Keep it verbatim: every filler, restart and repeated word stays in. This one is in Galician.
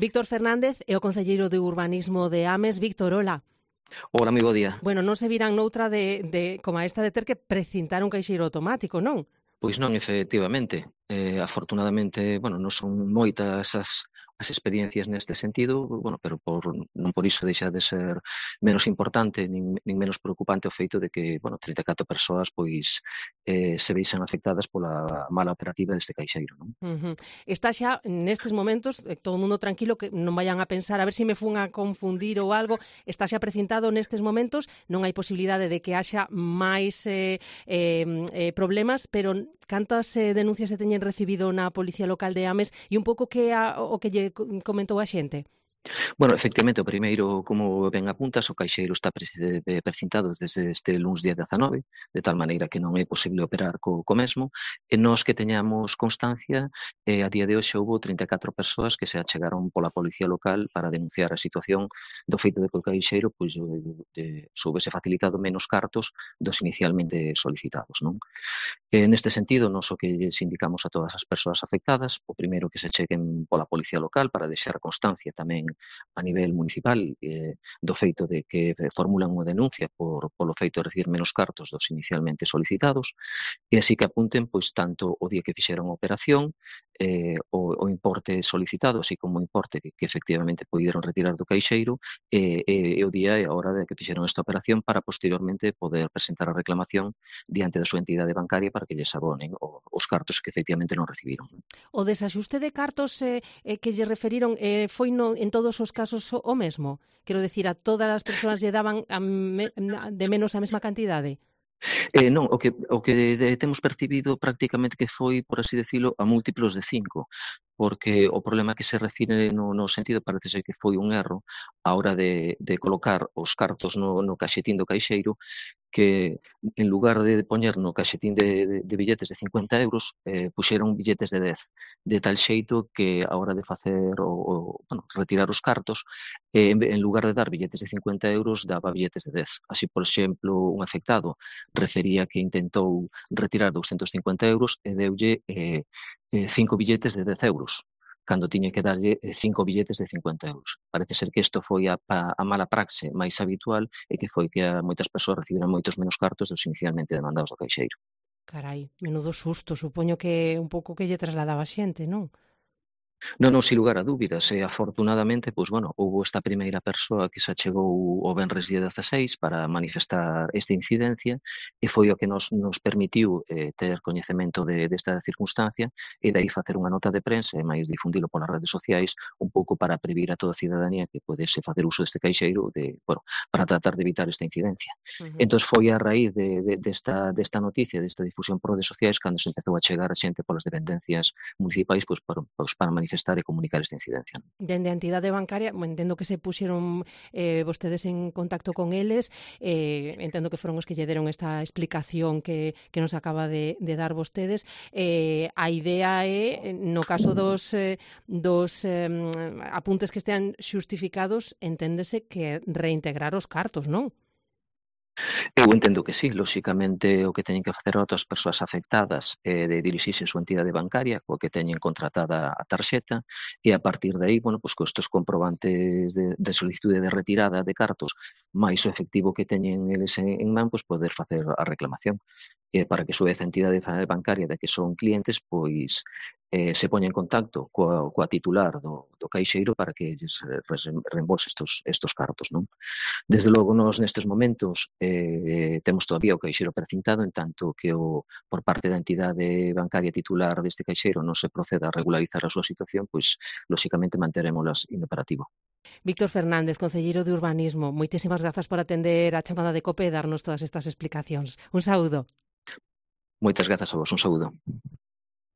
Víctor Fernández é o concelleiro de Urbanismo de Ames. Víctor, hola. Hola, moi bo día. Bueno, non se virán noutra de, de como a esta de ter que precintar un caixeiro automático, non? Pois non, efectivamente. Eh, afortunadamente, bueno, non son moitas as, as experiencias neste sentido, bueno, pero por, non por iso deixa de ser menos importante nin, nin menos preocupante o feito de que, bueno, trinta e catro persoas pois eh, se veixan afectadas pola mala operativa deste caixeiro, non? Uh-huh. Está xa nestes momentos, eh, todo o mundo tranquilo, que non vayan a pensar a ver se me fun a confundir ou algo, está xa precintado nestes momentos, non hai posibilidade de que haxa máis eh, eh, eh, problemas, pero cantas eh, denuncias se teñen recibido na Policía Local de Ames e un pouco que a, o que lle comentou a xente? Bueno, efectivamente, o primeiro, como ben apuntas, o caixeiro está precintado desde este luns día dezanove, de tal maneira que non é posible operar co, co mesmo, e nós que teñamos constancia, eh, a día de hoxe houve trinta e catro persoas que se achegaron pola Policía Local para denunciar a situación do feito de que o caixeiro pois, de, soubese facilitado menos cartos dos inicialmente solicitados, non? E neste sentido, nós o que lles indicamos a todas as persoas afectadas, o primeiro que se cheguen pola Policía Local para deixar constancia tamén a nivel municipal eh, do feito de que formulan unha denuncia por, polo feito de recibir menos cartos dos inicialmente solicitados e así que apunten pois tanto o día que fixeron a operación, eh, o, o importe solicitado, así como o importe que, que efectivamente poideron retirar do caixeiro e, e, e o día e a hora de que fixeron esta operación para posteriormente poder presentar a reclamación diante da súa entidade bancaria para que lles abonen os cartos que efectivamente non recibiron. O desaxuste de cartos eh, eh, que lle referiron eh, foi no, en todos os casos o, o mesmo? Quero decir, a todas as persoas lle daban a me, de menos a mesma cantidade? Eh, non, o que, o que de, temos percibido prácticamente que foi, por así decirlo, a múltiplos de cinco, porque o problema que se refire no, no sentido parece ser que foi un erro a hora de, de colocar os cartos no, no caixetín do caixeiro, que en lugar de poñer no caixetín de, de, de billetes de cincuenta euros, eh, puxeron billetes de dez, de tal xeito que a hora de facer o, o bueno, retirar os cartos, eh, en, en lugar de dar billetes de cincuenta euros, daba billetes de dez. Así, por exemplo, un afectado refería que intentou retirar doscientos cincuenta euros e deulle eh, eh, cinco billetes de dez euros, cando tiña que darlle cinco billetes de cincuenta euros. Parece ser que isto foi a, a mala praxe máis habitual e que foi que a moitas persoas recibiran moitos menos cartos dos inicialmente demandados do caixeiro. Carai, menudo susto, supoño que un pouco que lle trasladaba a xente, non? Non, non, sin lugar a dúbidas, e afortunadamente, pois, bueno, houve esta primeira persoa que se achegou o venres día dezaseis para manifestar esta incidencia e foi o que nos, nos permitiu eh, ter coñecemento de, desta circunstancia e dai facer unha nota de prensa e máis difundilo polas redes sociais un pouco para previr a toda a cidadanía que podese facer uso deste caixeiro de, bueno, para tratar de evitar esta incidencia. Uh-huh. Entón foi a raíz de, de, desta, desta noticia, desta difusión por redes sociais, cando se empezou a chegar a xente polas dependencias municipais pois, para, pois, para manifestar manifestar e comunicar esta incidencia. Dende a entidade bancaria, entendo que se puxeron eh, vostedes en contacto con eles, eh, entendo que foron os que lle deron esta explicación que, que nos acaba de, de dar vostedes. Eh, a idea é, no caso dos, eh, dos eh, apuntes que estean xustificados, enténdese que reintegrar os cartos, non? Eu entendo que sí, lóxicamente o que teñen que facer outras persoas afectadas é de dirixirse a súa entidade bancaria coa que teñen contratada a tarxeta e a partir de aí, bueno, pois, con estes comprobantes de, de solicitude de retirada de cartos máis o efectivo que teñen eles en, en man, pois poder facer a reclamación e para que a súa entidade bancaria de que son clientes, pois eh, se poña en contacto coa, coa titular do, do caixeiro para que lles reembolse estos, estos cartos, non? Desde logo, nós nestes momentos eh, temos todavía o caixeiro precintado, en tanto que o, por parte da entidade bancaria titular deste caixeiro non se proceda a regularizar a súa situación, pois, lóxicamente, manterémolas inoperativo. Víctor Fernández, concelleiro de Urbanismo, moitísimas grazas por atender a chamada de COPE e darnos todas estas explicacións. Un saúdo. Moitas grazas a vos, un saúdo.